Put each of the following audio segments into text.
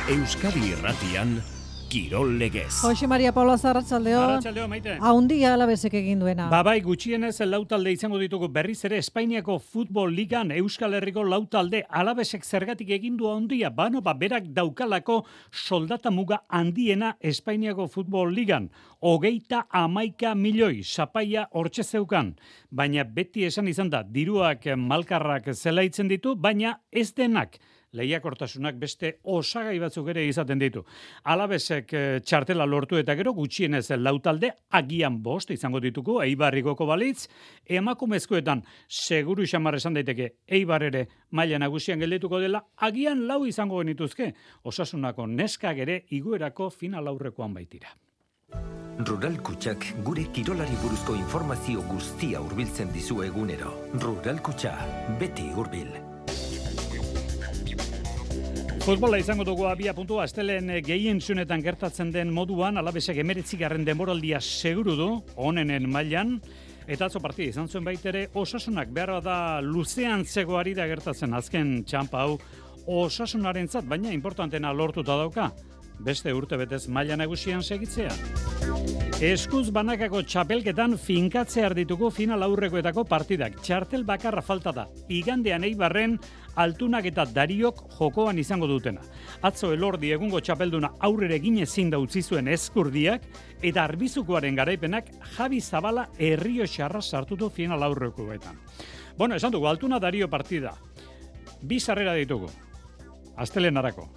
Euskadi Irratian, Kirol Legez. Jose Maria Paula Arratsaldeon. Arratsaldeon, Maite. Haundia Alavesek egin duena. Bai, gutxienez lau talde izango ditugu berriz ere Espainiako Futbol Ligan Euskal Herriko lau talde. Alavesek zergatik egin du haundia? Berak daukalako soldata muga handiena Espainiako Futbol Ligan. 31 milioi zapaia hortxe zeukan. Baina beti esan izan da, diruak malkarrak zelaitzen ditu, baina ez denak. Lehiakortasunak beste osagai batzuk ere izaten ditu. Alavesek txartela lortu eta gero gutxienez lau talde agian 5 izango dituko Eibarrigoko balitz, emakumezkoetan seguru xamar esan daiteke Eibar ere maila nagusian geldituko dela, agian 4 izango genituzke. Osasunako neskak ere igoerako final aurrekoan baitira. Rural Kutxak gure kirolari buruzko informazio guztia hurbiltzen dizu egunero. Rural Kutxa, beti hurbil. Futbola izango dugu abia puntua, astelen gehien zunetan gertatzen den moduan, Alavesek 19. denboraldia seguru du, onenen mailan, eta atzo partida izan zuen baitere, Osasunak behar da luzean zegoari da gertatzen azken txampa hau, Osasunarentzat, baina importantena lortuta dauka, beste urtebetez maila nagusian segitzea. Eskuz banakako txapelketan finkatzear ditugu final aurrekoetako partidak. Txartel bakarra falta da. Igandean Eibarren Altunak eta Dariok jokoan izango dutena. Atzo Elordi egungo txapelduna aurrere egin ezin da utzi zuen Eskurdiak eta Arbizukoaren garaipenak Javi Zabala Errioxarra sartu du final aurrekoetan. Esan dugu Altuna Dario partida. 2 sarrera ditugu. Astelenarako.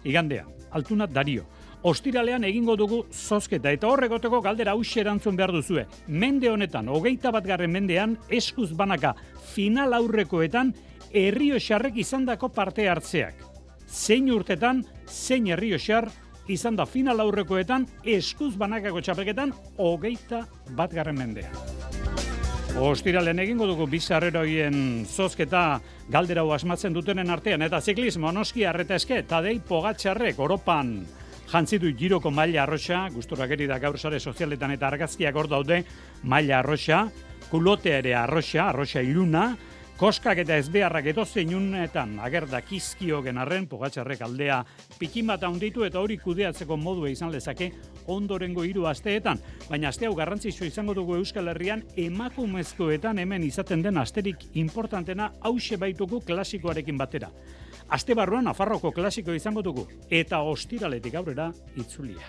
Igandean Altuna Dario. Ostiralean egingo dugu zozketa eta horregoteko galdera hauxe erantzun behar duzue. Mende honetan, 21. mendean, eskuz banaka final aurrekoetan Errioxarrek izandako parte hartzeak. Zein urtetan, zein Errioxar izan da final aurrekoetan eskuz banakako txapelketan 21. mendean. Ostiralean egingo dugu bizarreroien zozketa galdera hau asmatzen dutenen artean eta ziklismo noski arreta eske, Tadej Pogačarrek Europan jantzi du Giroko maila arroxa, gusturak eri da gaur sare sozialetan eta argazkiak hor daude, maila arroxa, kulotea ere arroxa iluna, koskak eta ezbeharrak edozein unetan agerda kizkiogen arren, Pogačarrek aldea pikin bat handitu eta hori kudeatzeko modua izan lezake ondorengo 3 asteetan. Baina aste hau garrantzitsua izango dugu Euskal Herrian emakumezkoetan hemen izaten den asterik importantena hauxe baitugu klasikoarekin batera. Aste barruan Nafarroko klasiko izango dugu eta ostiraletik aurrera itzulia.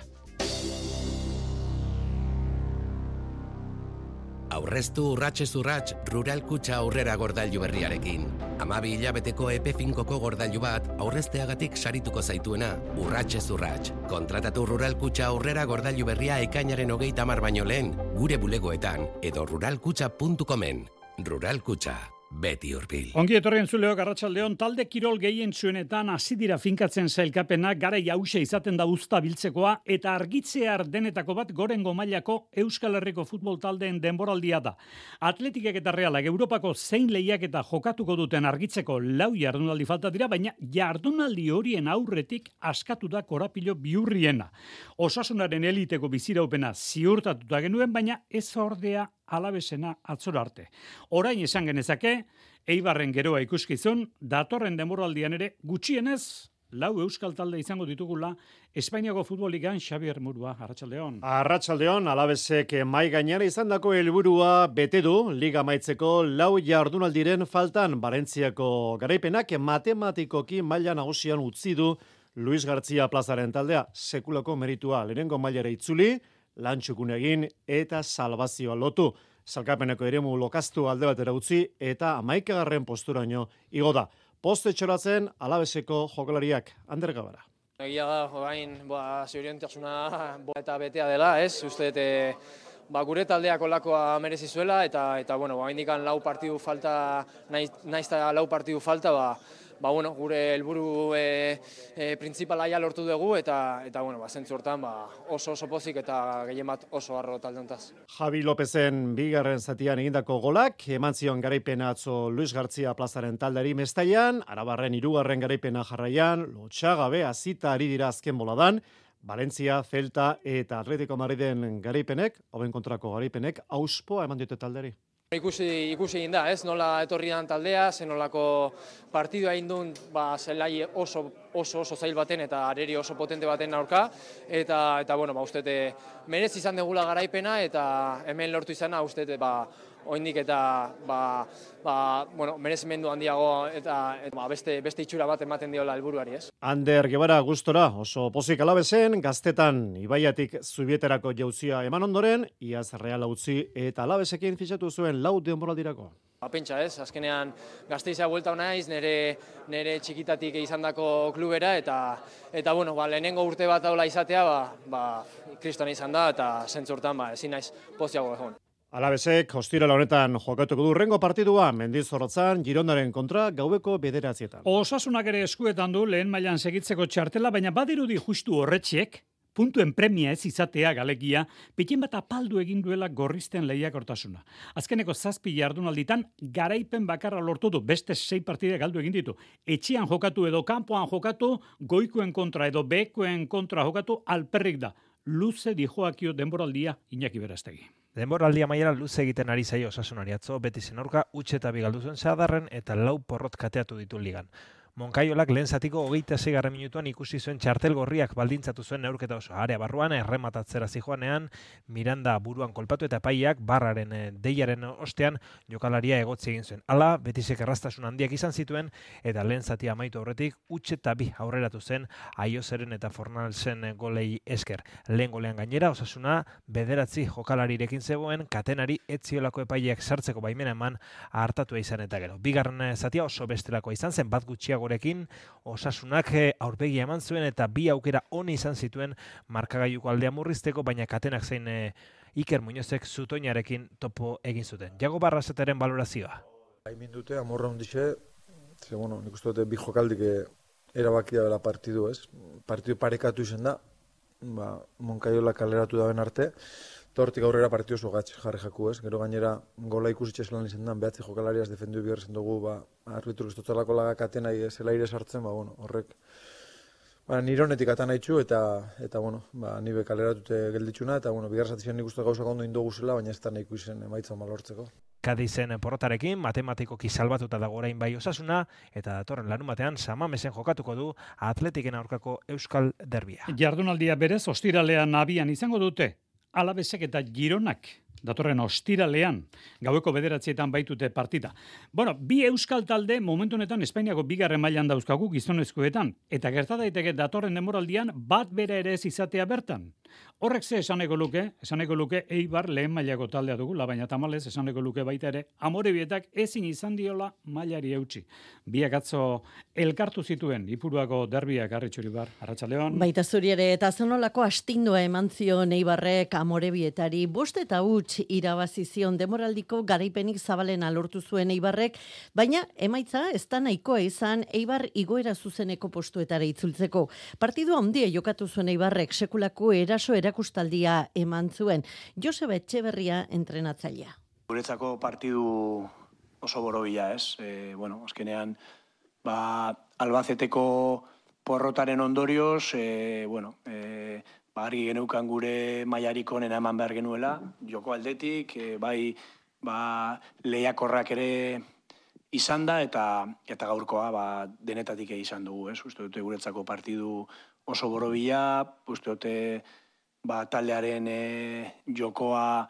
Aurreztu urratsez urrats Rural Kutxa aurrera gordailu berriarekin. 12 hilabeteko epe finkoko gordailu bat aurrezteagatik sarituko zaituena urratsez urrats. Kontratatu Rural Kutxa aurrera gordailu berria ekainaren 30 baino lehen gure bulegoetan edo ruralkutxa.comen. Rural Kutxa. Beti hurbil. Ongi etorrien zuleok arratsaldeon, talde kirol gehien zuenetan hasi dira finkatzen sailkapena, garai hauxe izaten da uzta biltzekoa eta argitzear denetako bat gorengo mailako Euskal Herriko futbol taldeen denboraldia da. Atletikek eta Realak Europako zein lehiaketa jokatuko duten argitzeko 4 jardunaldi falta dira, baina jardunaldi horien aurretik askatu da korapilo bihurriena. Osasunaren eliteko biziraupena ziurtatuta genuen, baina ez ordea Alavesena atzora arte. Orain esan genezake, Eibarren geroa ikuskizun, datorren denboraldian ere gutxienez 4 euskal talde izango ditugula Espainiako Futbol Ligan. Xabier Murua, arratsaldeon. Arratsaldeon, Alavesek mai gainera izandako helburua bete du liga amaitzeko 4 jardunaldiren faltan. Valentziako garaipenak matematikoki maila nagusian utzi du Luis García Plazaren taldea. Sekulako meritua lehenengo mailara itzuli, lantxukun egin eta salbazioa lotu. Salkapeneko eremu lokaztu alde batera utzi eta 11. posturaino igo da. Poste txoratzen Alaveseko jokalariak. Ander Gabara. Egia da, orain zorientasuna eta betea dela, ez? Uste gure taldeak olakoa merezi zuela eta oraindikan 4 partidu falta, naiz eta 4 partidu falta, gure helburu printzipala ja lortu dugu eta zentzu hortan oso pozik eta gehien bat oso harro talde hontaz. Javi Lopezen bigarren zatian egindako golak, eman zion garaipena atzo Luis García Plazaren taldeari Mestaian, Arabarren 3. garaipena jarraian, lotsagabe hasita ari dira azken boladan, Valencia, Celta eta Atletico Madriden garaipenek, hoben kontrako garaipenek, auspoa eman diote taldeari. Ikusi egin da, ez? Nola etorri dan taldea, zenolako partidua egin duen, zelai oso zail baten eta areri oso potente baten aurka, eta bueno, uste merez izan degula garaipena, eta hemen lortu izana, uste oraindik eta bueno, merezimendu handiago eta beste itxura bat ematen diola helburuari, ez? Ander Guevara gustora, oso pozik Alabezen, Gaztetan Ibaiatik Zubieterako jauzia eman ondoren, iaz Reala utzi eta Alabesekin fitxatu zuen 4 denboraldirako. Pentsa ez, azkenean Gasteiza buelta naiz, nire txikitatik izandako klubera, eta bueno, lehenengo urte bat daula izatea, kristona izan da, eta zentzurtan ezin naiz poziago egon. Alabesek ostirala honetan jokatuko du hurrengo partidua Mendizorrotzan Girondaren kontra gaueko 9:00. Osasunak ere eskuetan du lehen mailan segitzeko txartela, baina badirudi justu horretxek puntuen premia ez izatea galegia, pitin bat apaldu egin duela gorrizten lehiakortasuna. Azkeneko 7 jardunalditan garaipen bakarra lortu du, beste 6 partide galdu egin ditu. Etxean jokatu edo kanpoan jokatu, goikoen kontra edo bekoen kontra jokatu alperrik da. Luze dijoakio denboraldia Iñaki Berastegi. Denboraldia amaiera luze egiten ari zaio Osasunari atzo, Betizen aurka 8-2 galdu zuen Sadarren eta 4 porrot kateatu ditu ligan. Monkaiolak lehen zatiko 26. minutuan ikusi zuen txartel gorriak baldintzatu zuen neurketa oso. Area barruan errematatzera zijoanean, Miranda buruan kolpatu eta epaiak barraren deiaren ostean jokalaria egotzi egin zuen. Hala, Betisek erraztasun handiak izan zituen eta lehen zati amaitu aurretik 8-2 aurreratu zen Aiozeren eta Fornalsen golei esker. Lehen golean gainera Osasuna 9 jokalarirekin zegoen, katenari etziolako epaileak sartzeko baimena eman hartatua izan eta gero. Bigarren zatia oso bestelakoa izan zen, bat gutxiago gorekin Osasunak aurpegia eman zuen eta 2 aukera oni izan zituen markagailuko aldea murrizteko, baina katenak zein Iker Muñozek zutoinarekin topo egin zuten. Jago Barrazetaren balorazioa. Haimin dute, amorra hundixe, nik uste dute 2 jokaldik erabakia dela partidu, ez? Partidu parekatu izan da, Monkaiola kaleratu daben arte, Tortik aurrera partidu oso gatz jarri jaku, ez? Gero gainera gola ikusitxe zelan izan da, 9 jokalariaz defendu bigarren dugu, arbitru kristotzalako lagakaten nahi zelaire sartzen, horrek nire honetik atan haitxu eta nire kaleratute gelditxuna, eta bigarren zatizien nik uste gauzak ondo indogu zela, baina ez da nahiko izen emaitza malortzeko. Kadizen porrotarekin, matematikoki salbatuta dago orain bai Osasuna, eta datorren larunbatean Samamesen jokatuko du Atletiken aurkako Euskal Derbia. Jardunaldia berez ostiralean abian izango dute, Alabesek eta Gironak datorren ostiralean, gaueko 9:00 baitute partida. Bueno, 2 euskal talde momentu honetan Espainiako 2. mailan dauzkagu gizonezkoetan, eta gerta daiteke datorren denboraldian bat bera ere ez izatea bertan. Horrek ze esaneko luke Eibar lehen mailako taldea dugula, baina tamalez esaneko luke baita ere Amorebietak ezin izan diola mailari eutsi. Biak atzo elkartu zituen Ipuruako derbiak Arritxuribar, Arratsaldeon. Baita zuri ere, eta zenolako astindua eman zion Eibarrek Amorebietari 5-0 irabazi zion demoraldiko garaipenik zabalena lortu zuen Eibarrek, baina emaitza ez da nahikoa izan Eibar igoera zuzeneko postuetara itzultzeko. Partidua handia jokatu zuen Eibarrek, sekulako eraso erakustaldia eman zuen. Joseba Etxeberria entrenatzailea. Guretzako partidu oso borobila, ez? Azkenean, Albaceteko porrotaren ondorioz, argi geneukan gure mailarik onena eman behar genuela, joko aldetik, lehiakorrak ere izan da, eta gaurkoa denetatik izan dugu, ez? Uste dute guretzako partidu oso borobila, uste dute taldearen jokoa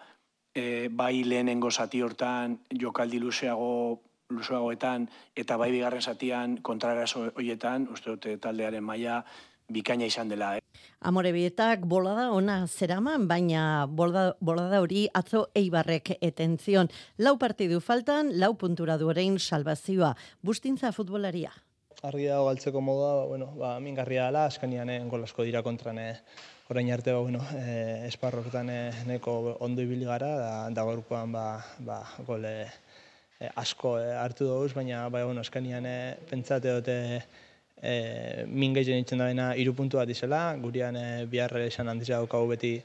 bai lehenengo zati hortan jokaldi luzeagoetan eta bai bigarren zatian kontrarazo horietan, uste dute taldearen maila bikaina izan dela. Amorebietak bolada ona zeraman, baina bolada hori atzo Eibarrek eten zion. 4 partidu faltan, 4 puntura du orain salbazioa. Bustintza futbolaria. Argi dago galtzeko modua, mingarria dela, azkenean gol asko dira kontran orain arte, esparroketan neko ondo ibili gara, da gaurkoan gol asko hartu dugu, baina azkenean pentsate dute min gehien itzen dabeena 3 puntu bat izela, gurean bihar esan handizia daukagu beti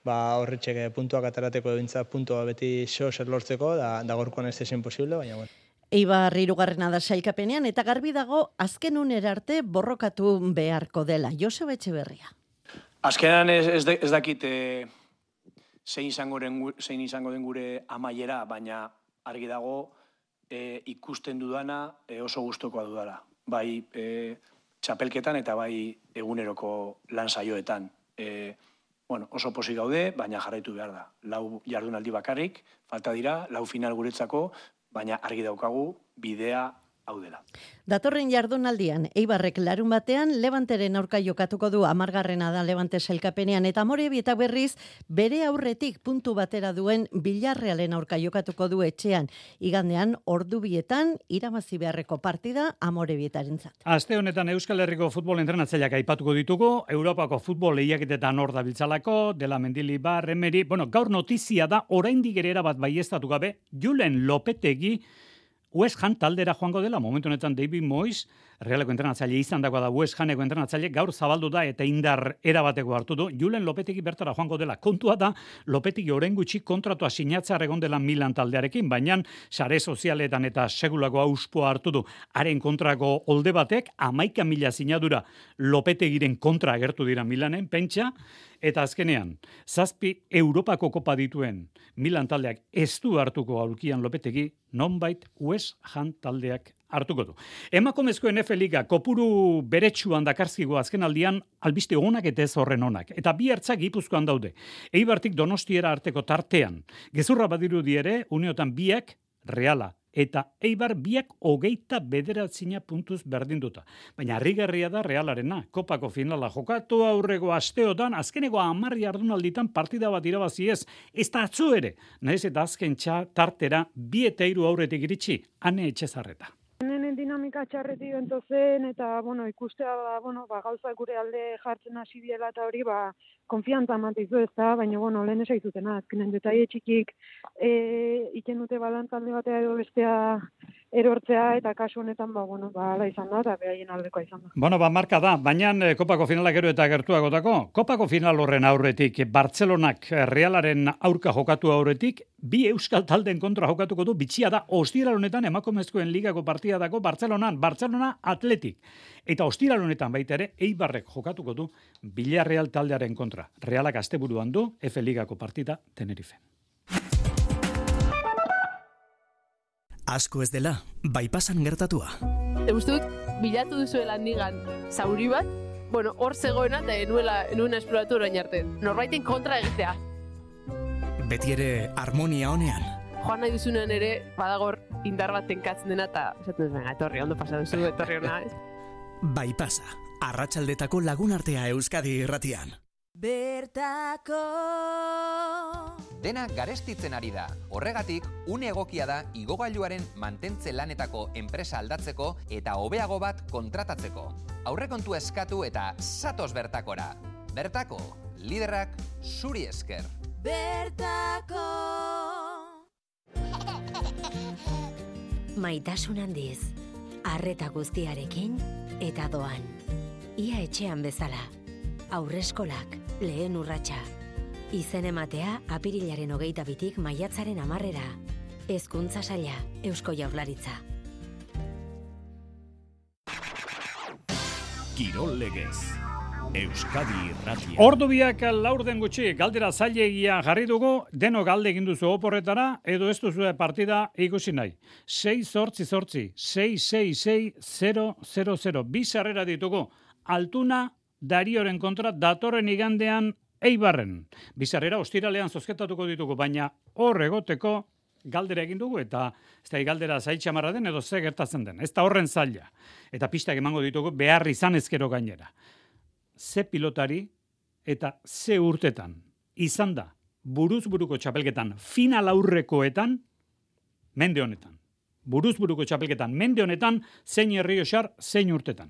horretxek puntuak atarateko ebintza puntua beti zer lortzeko, da gaurkoan ez ezin posible, baina Eibar 3. da sailkapenean eta garbi dago azken unera arte borrokatu beharko dela. Joseba Etxeberria. Azkenan ez dakit zein izango den gure amaiera, baina argi dago ikusten dudana oso gustokoa dudala. Bai txapelketan eta bai eguneroko lan saioetan. Oso pozik gaude, baina jarraitu behar da. 4 jardunaldi bakarrik, falta dira, 4 final guretzako, baina argi daukagu bidea hau dela. Datorren jardunaldian, Eibarrek larun batean Levanteren aurka jokatuko du 10. da Levante sailkapenean eta Amorebietak berriz bere aurretik puntu batera duen Villarrealen aurka jokatuko du etxean. Igandean ordubietan irabazi beharreko partida Amorebietarentzat. Aste honetan Euskal Herriko futbol entrenatzaileak aipatuko ditugu, Europako futbol lehiaketetan hor dabiltzalako, Dela Mendilibar, Emery, gaur notizia da oraindik ere erabat baieztatu gabe, Julen Lopetegi West Ham taldera joango dela, momentu honetan David Moyes, Realeko entrenatzaile izan dagoa da West Hameko entrenatzaile, gaur zabaldu da eta indar erabateko hartu du, Julen Lopetegi bertara joango dela. Kontua da, Lopetegi orain gutxi kontratua sinatzea egon dela Milan taldearekin, baina sare sozialetan eta segulako auspoa hartu du. Haren kontrako olde batek, 11.000 sinadura Lopetegiren kontra agertu dira Milanen, pentsa, eta azkenean, 7 Europako kopa dituen Milan taldeak ez du hartuko aurkian Lopetegi, nonbait West Ham taldeak hartuko du. Emakumezkoen F Liga kopuru beretsuan dakarzkigo azken aldian albiste onak eta ez horren onak. Eta bi hartzak Gipuzkoan daude. Eibartik Donostiera arteko tartean. Gezurra badirudi ere, uneotan biak Reala eta Eibar biak 29 puntuz berdinduta. Baina harrigarria da Realarena. Kopako finala jokatu aurreko asteotan, azkeneko 10 jardunalditan partida bat irabazi ez. Ez da atzo ere. Nahiz eta azken tartera 2 eta 3 aurretik iritsi. Ane Etxezarreta. Nenen dinamika txarretik zen eta ikustea gauza gure alde jartzen hasi diela eta hori konfiantza matizu ez da, baina lehen esaizutena, azkenen detaile txikik iken dute balantzalde batea edo bestea erortzea eta kasu honetan ala izan da eta behaien aldekoa izan da. Marka da, baina Kopako finalak gero eta gertuagotako. Kopako final horren aurretik, Bartzelonak Realaren aurka jokatu aurretik, 2 euskal taldeen kontra jokatuko du, bitxia da, ostiral honetan emakumezkoen ligako partida dago Bartzelona Atletik. Eta ostiral honetan baita ere, Eibarrek jokatuko du Villarreal taldearen kontra. Realak asteburuan du, F Ligako partida Tenerife. Asko ez dela, bypassan gertatua. Uste dut, bilatu duzuela handigan zauri bat, hor zegoena eta enuena esploratu orain arte. Norbaiten kontra egitea. Beti ere harmonia honean. Joan nahi duzunean ere, badagor indar bat tenkatzen dena eta esaten dut, etorri, ondo pasa duzu, etorri hona. Bypassa, arratsaldetako lagunartea Euskadi irratian. Bertako Dena garestitzen ari da. Horregatik, une egokia da igogailuaren mantentze lanetako enpresa aldatzeko eta hobeago bat kontratatzeko. Aurrekontu eskatu eta zatoz bertakora. Bertako, liderrak zuri esker. Bertako Maitasun handiz, arreta guztiarekin eta doan. Ia etxean bezala. Aurreskolak, lehen urratsa. Izen ematea apirilaren 22tik maiatzaren 10era. Hezkuntza saila, Eusko Jaurlaritza. Kirol legez. Euskadi irratia. Ordu biak laurden gutxi, galdera zailegia jarri dugu, deno galde egin duzu oporretara, edo ez duzu partida ikusi nahi. 6-8-8, 6-6-6-0-0-0. Bi sarrera ditugu, Altuna Darioren kontra datorren igandean Eibarren. Bi sarrera ostiralean zozketatuko ditugu, baina hor egoteko galdera egin dugu, eta ez da galdera zaitxamarra den, edo ze gertatzen den. Ez da horren zaila. Eta pistak emango ditugu behar izan ezkero gainera. Ze pilotari eta ze urtetan izan da buruz-buruko txapelketan final aurrekoetan mende honetan. Buruz-buruko txapelketan mende honetan zein Herrioxar, zein urtetan.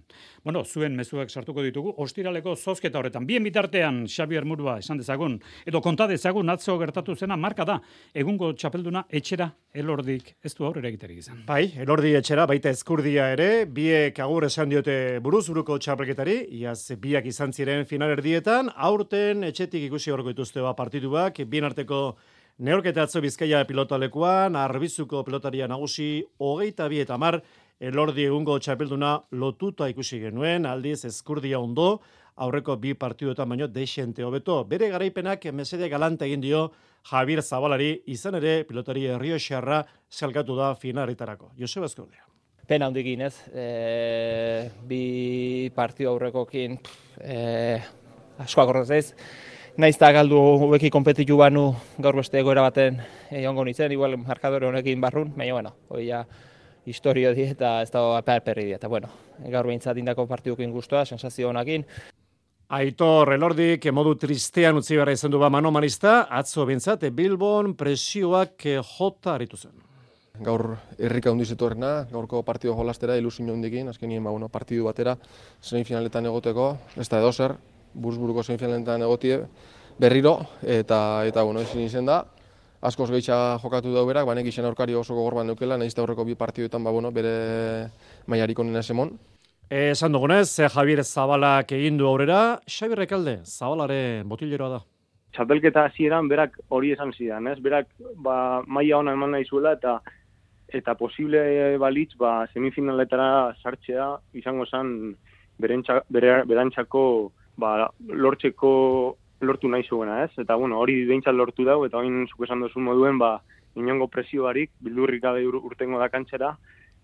Zuen mezuak sartuko ditugu ostiraleko zozketa horretan. Bien bitartean Xabier Murua esan dezagun, edo konta dezagun atzo gertatu zena marka da. Egungo txapelduna etxera Elordik ez du aurrera egiterik izan. Bai, Elordi etxera, baita Ezkurdia ere, biek agur esan diote buruz-buruko txapelketari, iaz biak izan ziren final erdietan, aurten etxetik ikusi horko dituzte partituak, bien arteko neorketa atzo Bizkaia pilotalekuan, Arbizuko pilotaria nagusi 22-10, Elordi egungo txapelduna lotuta ikusi genuen, aldiz Ezkurdia ondo, aurreko 2 partiduetan baino deixente hobeto. Bere garaipenak mesede galante egin dio Javier Zabalari, izan ere pilotari errioxarra salkatu da finaletarako. Joseba Ezkurdia. Pena handikin, ez? 2 partidu aurrekokin asko akordatzez. Naiz eta galdu hobeki konpetitu banu gaur beste egoera baten egongo nintzen, igual markadore honekin barrun, baina bueno, hori ja historio di eta ez da perri di. Eta bueno, gaur behintzat indako partidukin guztua, sensazio honakin. Aitor Elordik modu tristean utzi behar izan du Mano Marista, atzo bintzat Bilbon presioak jota aritu zen. Gaur herrika hundiz etorrena, gaurko partido jolastera, ilusio hundikin, azkenien partidu batera, semifinaletan egoteko, ez da edozer, Buruzburuko semifinaletan egotie berriro, eta bueno, ezin izen da, askoz gehitza jokatu da berak, banek izan aurkari oso gogorban neukela, nahiz eta aurreko 2 partiduetan bere mailarik onena esemon. Esan dugunez, Javier Zabalak egin du aurrera, Xabi Rekalde, Zabalaren botileroa da. Txapelketa hasieran berak hori esan zidan, ez? Berak maila ona eman nahi zuela eta posible balitz semifinaletara sartzea izango zen berantzako lortu nahi zuena, ez? Eta bueno, hori behintzat lortu dau eta orain zuk esan duzu moduen inongo presio barik bildurrik gabe urtengo da kantxera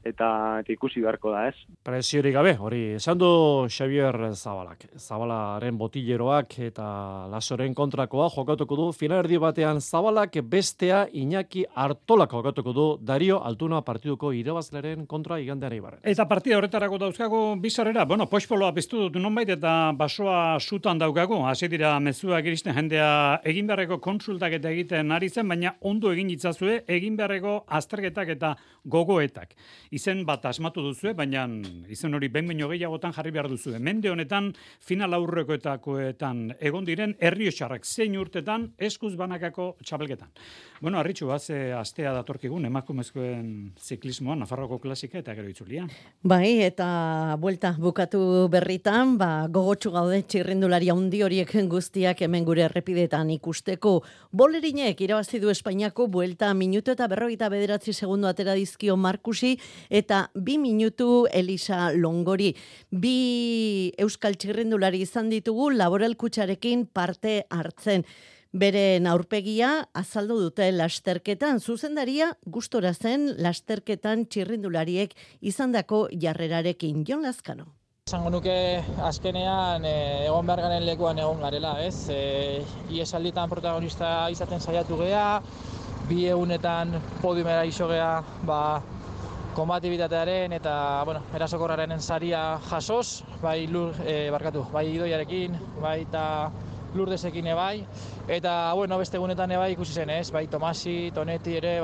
eta ikusi beharko da, ez? Presiorik gabe, hori esan du Xavier Zabalak. Zabalaren botileroak eta Lasoren kontrakoa jokatuko du. Finalerdi batean Zabalak, bestea Iñaki Artolak jokatuko du Dario Altuna partiduko irabazlearen kontra igandean Eibarren. Eta partida horretarako dauzkago bizarrera, bueno, poxpoloa piztu dut nonbait eta basoa sutan daukago. Hasi dira mezuak iristen jendea egin beharreko konsultak eta egiten ari zen, baina ondo egin itzazue egin beharreko azterketak eta gogoetak. Izen bat asmatu duzue, baina izen hori behin gehiagotan jarri behar duzue. Mende honetan, final aurrekoetakoetan egon diren Errioxarrak zein urtetan eskuz banakako txapelketan. Bueno, Arritxu, astea datorkigun emakumezkoen ziklismoan, Nafarroko klasika eta gero itzulia. Bai, eta buelta bukatu berritan, gogotsu gaude txirrindulari handi horiek guztiak hemen gure errepidetan ikusteko. Bolerinek irabazi du Espainiako buelta minutu eta 49 segundo atera dizkio Markusi, eta 2 minutu Elisa Longori. 2 euskal txirrindulari izan ditugu Laboral Kutxarekin parte hartzen. Beren aurpegia azaldu dute lasterketan, zuzendaria gustora zen lasterketan txirrindulariek izandako jarrerarekin. Jon Lazkano. Esango nuke azkenean egon behar garen lekuan egon garela, ez? Iesalditan protagonista izaten saiatu gea, 2 egunetan podiumera iso gea, konbatibitatearen eta erasokorraren saria jasoz, bai Idoiarekin, bai eta Lurdesekin ebai, eta beste egunetan ebai ikusi zen, ez? Bai Tomasi, Tonetti ere,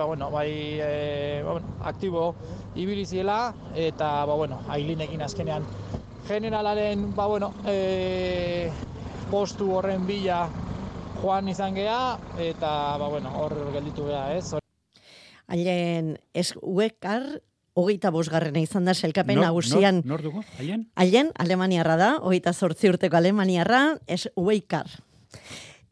aktibo ibili ziela, eta Ailinekin azkenean generalaren postu horren bila joan izan gea, eta hor gelditu gea, ez? Ailen Uekar 25. izan da sailkapen nagusian. Nor dugu? Ailen, Alemaniarra da, 28 urteko Alemaniarra, Uekar.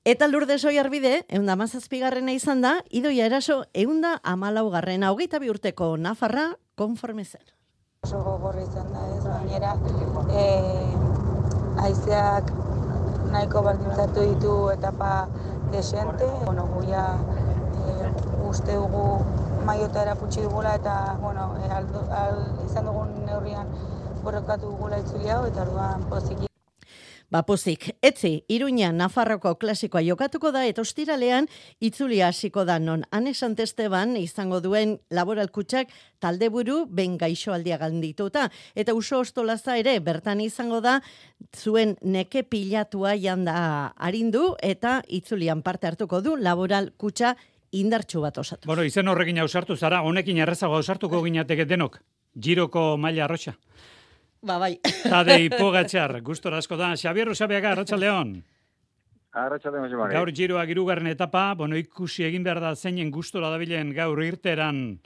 Eta Lourdes Oiarbide, 117. izan da, Idoia Eraso 114. 22 urteko Nafarra konforme zen. Oso gogorra izan da, ez gainera, haizeak nahiko baldintzatu ditu etapa desente, guia uste dugu maiota erakutsi dugula eta izan dugun neurrian borrokatu dugula itzuli hau eta orduan poziki. Pozik, etzi, Iruña Nafarroko klasikoa jokatuko da eta ostiralean itzulia hasiko da non Ane Santesteban izango duen Laboral Kutxak taldeburu ben gaixoaldia gandituta. Eta Uso Ostolaza ere bertan izango da zuen neke pilatua janda arindu eta itzulian parte hartuko du Laboral Kutxa indartsu bat osatu. Bueno, izen horrekin ausartu zara, honekin errezago ausartuko ginateke denok, Giroko maila arrotxa. Bai. Tadei Pogačar, gustora asko da. Xabier Usabiaga, Arratsaldeon. Arratsaldeon, Joseba. Gaur Giroak 3. etapa, ikusi egin behar da zeinen gustora dabilen gaur irteran,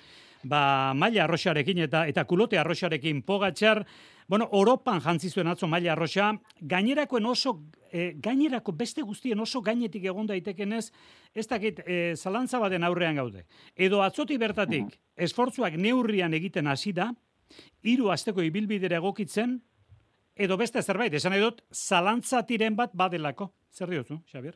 maila arroxarekin eta kulote arroxarekin Pogačar, Europan jantzi zuen atzo maila arroxa, gainerako beste guztien oso gainetik egon daitekenez, ez dakit zalantza baten aurrean gaude. Edo atzotik bertatik, esfortzuak neurrian egiten hasi da, hiru asteko ibilbidera egokitzen, edo beste zerbait, esan edot, zalantzatiren bat badelako. Zer diozu, Xabier?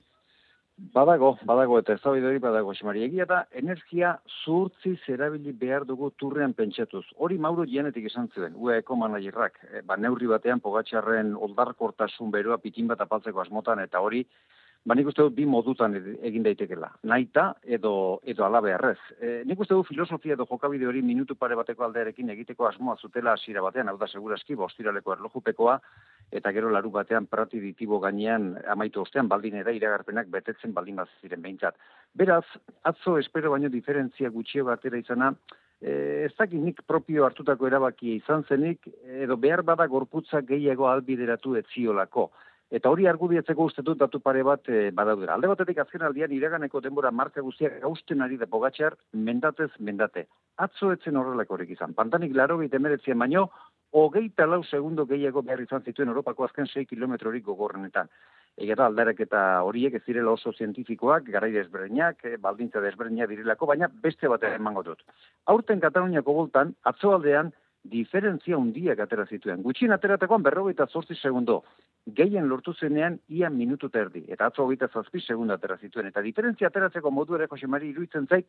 Badago, eta eztabaida hori badago, Xemari. Egia da, energia zuhurtziz erabili behar dugu turrean pentsatuz. Hori Mauro Gianetik esan zuen, UEako managerrak. Neurri batean Pogačarren oldarkortasun beroa pitin bat apaltzeko asmotan, eta hori, nik uste dut bi modutan egin daitekela. Naita edo ala beharrez. Nik uste dut filosofia edo jokabide hori minutu pare bateko aldearekin egiteko asmoa zutela hasiera batean, hau da segurazki, ostiraleko erlojupekoa, eta gero laru batean prati ditibo gainean amaitu ostean baldin ere iragarpenak betetzen baldin bat ziren behintzat. Beraz, atzo espero baino diferentzia gutxio batera izana, ez dakit nik propio hartutako erabakia izan zenik, edo behar bada gorputza gehiago albideratu etziolako. Eta hori argudiatzeko uste dut datu pare bat badaudera. Alde batetik azken aldian iraganeko denbora marka guztiak gausten ari da Pogačar mendatez mendate. Atzo etzen horrelakorik izan. Pantanik 89 baino, 24 segundo gehiago behar izan zituen Europako azken 6 kilometrorik gogorrenetan. Egia da aldarak eta horiek ez direla oso zientifikoak, garai desberdinak, baldintza desberdinak direlako, baina beste bat emango dut. Aurten Kataluniako boltan, atzoaldean, diferentzia hundiak atera zituen. Gutxien ateratakoan 48 segundo. Gehien lortu zenean ia minutu eta erdi. Eta atzo 27 segundo atera zituen. Eta diferentzia ateratzeko modu ere Jose Mari iruditzen zait,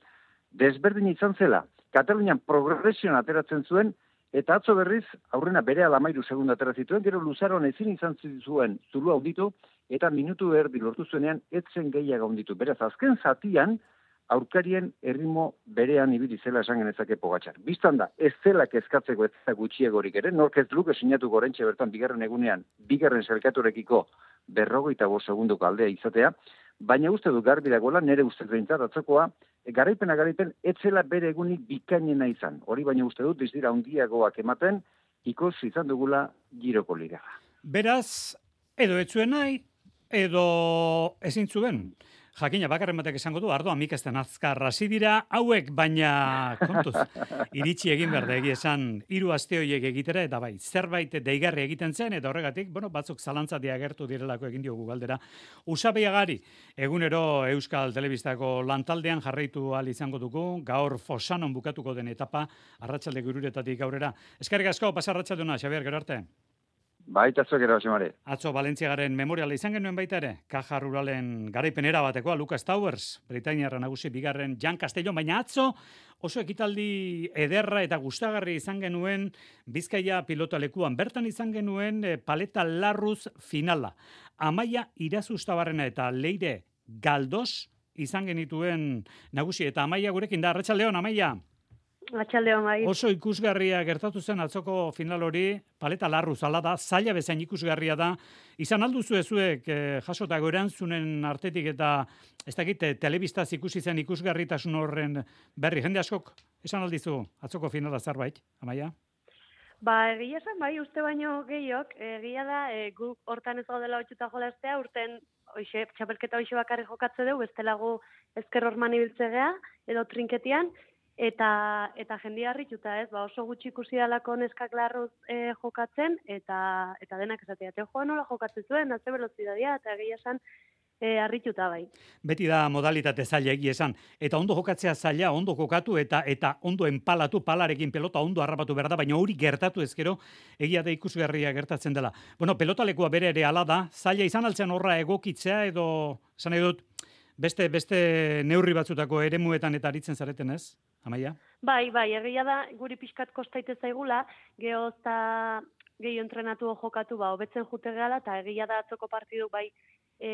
desberdin izan zela. Katalunian progresioan ateratzen zuen, eta atzo berriz aurrena bere 13 segundo atera zituen, gero luzaron ezin izan zuen zulu auditu, eta minutu erdi lortu zuenean etzen gehiago handitu. Beraz, azken zatian, aurkarien erritmo berean ibili zela esan genezake Pogačar. Bistan da, ez zela kezkatzeko ez da gutxiegorik ere, nork ez luke sinatu gorentxe bertan bigarren egunean, bigarren selkaturekiko 45 segundoko aldea izatea, baina uste du garbi dagoela, nire uste behintzat atzokoa, garaipen ez zela bere egunik bikainena izan. Hori baina uste dut, ez dira handiagoak ematen, ikusi izan dugula Giroko ligaga. Beraz, edo etzuen nahi, edo ezin zuen. Jakina, bakarren batek esango du, ardoa mikesten azkar hasi dira, hauek, baina kontuz, iritsi egin behar da esan 3 aste horiek egitera, eta bai, zerbait deigarri egiten zen, eta horregatik, batzuk zalantzatia agertu direlako egin diogu galdera. Usabiagari, egunero Euskal Telebistako lantaldean jarraitu ahal izango dugu, gaur Fosanon bukatuko den etapa, arratsalde gururetatik aurrera. Eskerrik asko, pasa arratsalduna, Xabier, gero arte. Baita zuek ere, Xemari. Atzo Valentziagaren memoriala izan genuen baita ere, Caja Ruralen garaipenera batekoa, Lucas Towers, Britainiarra nagusi bigarren Jan Castellón, baina atzo oso ekitaldi ederra eta gustagarri izan genuen Bizkaia pilotalekuan. Bertan izan genuen Paleta Larruz finala. Amaia Irazustabarrena eta Leire Galdos izan genituen nagusi, eta Amaia gurekin da. Arratsaldeon, Amaia. Arratsaldeon, bai. Oso ikusgarria gertatu zen atzoko final hori, Paleta Larruz ala da, zaila bezain ikusgarria da. Izan alduzu zuek jasotako erantzunen artetik eta ez dakit telebistaz ikusi zen ikusgarritasun horren berri. Jende askok esan aldizu atzoko finala zerbait, Amaia? Egia esan, bai, uste baino gehiok, egia da, guk hortan ez gaudela otxuta jolastea, urten txapelketa hoxe bakarri jokatze dugu, bestelago ezker horman ibiltzegea, edo trinketian, eta jendia harrituta ez, oso gutxi ikusi dalako neskak Larruz jokatzen, eta denak esatea, joan nola jokatzen zuen, ze velozidadia, eta egia esan, harrituta bai. Beti da modalitate zaila egia esan. Eta ondo jokatzea zaila, ondo jokatu eta ondo enpalatu, palarekin pelota ondo harrapatu behar da, baina hori gertatu ezkero egia da ikusgarria gertatzen dela. Pelotalekua bere ere ala da, zaila izan altzen horra egokitzea edo, esan edut, beste neurri batzutako eremuetan eta aritzen zareten ez, Amaia? Bai, egia da, guri pixkat kostaite zaigula, gehiago entrenatu jokatu, hobetzen jute gehala, eta egia da atzoko partidu, bai,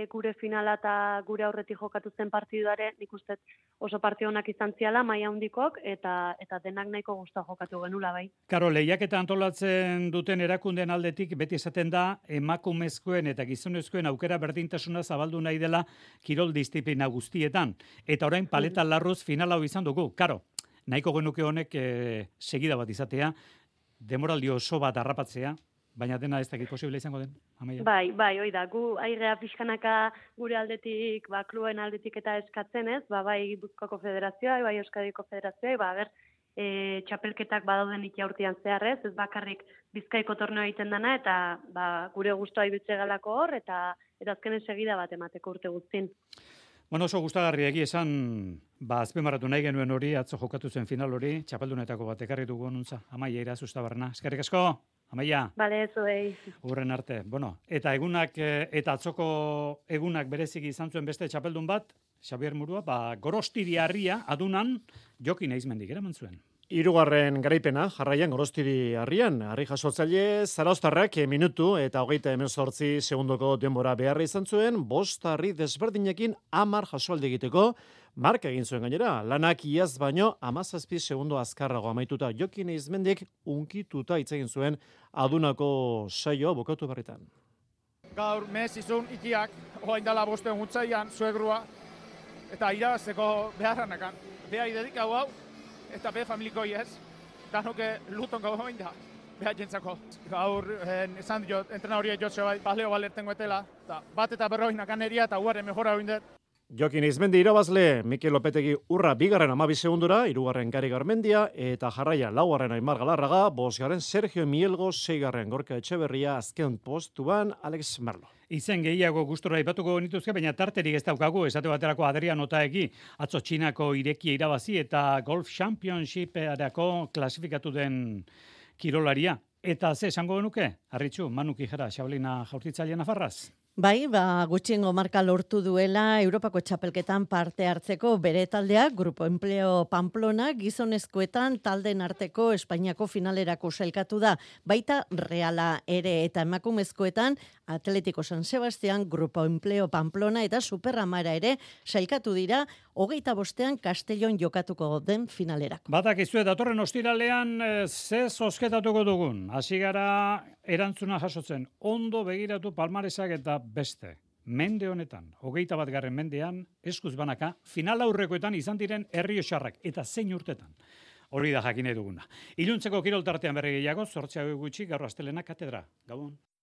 gure finala eta gure aurretik jokatu zen partiduare, nik uste oso partidu honak izan ziala, maila handikok, eta denak nahiko guztua jokatu genula, bai. Karo, lehiaketa antolatzen duten erakundeen aldetik, beti esaten da, emakumezkoen eta gizonezkoen aukera berdintasuna zabaldu nahi dela kirol disiplina guztietan. Eta orain Paleta Larruz finala izan dugu. Karo, nahiko genuke honek segida bat izatea, demoraldi oso bat harrapatzea, baina dena ez dakit posible izango den, Amaia? Bai, hoi da, gu airea pixkanaka gure aldetik, kluen aldetik eta eskatzen ez, bai Gipuzkoako federazioa, bai Euskadiko federazioa, txapelketak badauden itiaurtian zehar ez bakarrik Bizkaiko torneo egiten dana, eta gure gustoa ibiltze galako hor, eta azkenen segida bat emateko urte guztin. Bueno, oso gustagarri egia esan, azpimarratu nahi genuen hori, atzo jokatu zen final hori, txapeldunetako bat ekarri dugu onuntza. Amaia Irazustabarna. Eskerrik asko, Amaia. Bale, zuei. Urren arte. Bueno, eta egunak, eta atzoko egunak bereziki izan zuen beste txapeldun bat, Xabier Murua, Gorostiri harria adunan Jokin Eizmendik eraman zuen. 3. garaipena, jarraian Gorostiri harrian, harri jasotzaile Zarauztarrak minutu eta 38 segundoko denbora beharra izan zuen, 5 harri desberdinekin 10 jasoaldi egiteko, marka egin zuen gainera, lanak iaz baino 17 segundo azkarrago amaituta Jokin Eizmendik unkituta hitz egin zuen adunako saioa bukatu berritan. Gaur mez izun ikiak, oain dala 5 gutzaian, zuegrua, eta irabazteko beharranakan. Beha idedikau hau, eta be familikoi ez, danoke lutonko goin da, beha jentzako. Gaur, esan diot, entrena horiek jotze bai, baleo balertengo etela, eta bat eta berroinakan eria, eta uaren mejora hoindet. Jokin Eizmendi irabazle, Mikel Lopetegi urra 2. 12 segundura, 3. Gari Garmendia, eta jarraia 4. Aimar Galarraga, 5. Sergio Mielgo, 6. Gorka Etxeberria, azken postuan Alex Merlo. Izen gehiago gustora aipatuko nituzke, baina tarterik ez daukagu, esate baterako Adrian Otaegi, atzo Txinako irekia irabazi eta Golf Championship-erako klasifikatu den kirolaria. Eta ze esango genuke? Arritxu, Manu Kijera, Xablina jaurtitzaile nafarraz. Bai, gutxiengo marka lortu duela Europako txapelketan parte hartzeko bere taldeak, Grupo Empleo Pamplona, gizonezkoetan talden arteko Espainiako finalerako sailkatu da, baita Reala ere eta emakumezkoetan Atletico San Sebastián, Grupo Empleo Pamplona eta Superamara ere sailkatu dira 25ean Castellon jokatuko den finalerako. Badakizu datorren ostiralean ze zozketatuko dugun. Hasi gara erantzuna jasotzen. Ondo begiratu palmaresak eta beste. Mende honetan, 21. mendean, eskuz banaka, final aurrekoetan izan diren Errioxarrak eta zein urtetan. Hori da jakine duguna. Iluntzeko kiroltartean berri gehiago, 8 gutxi, gaur astelena katedra. Gabon.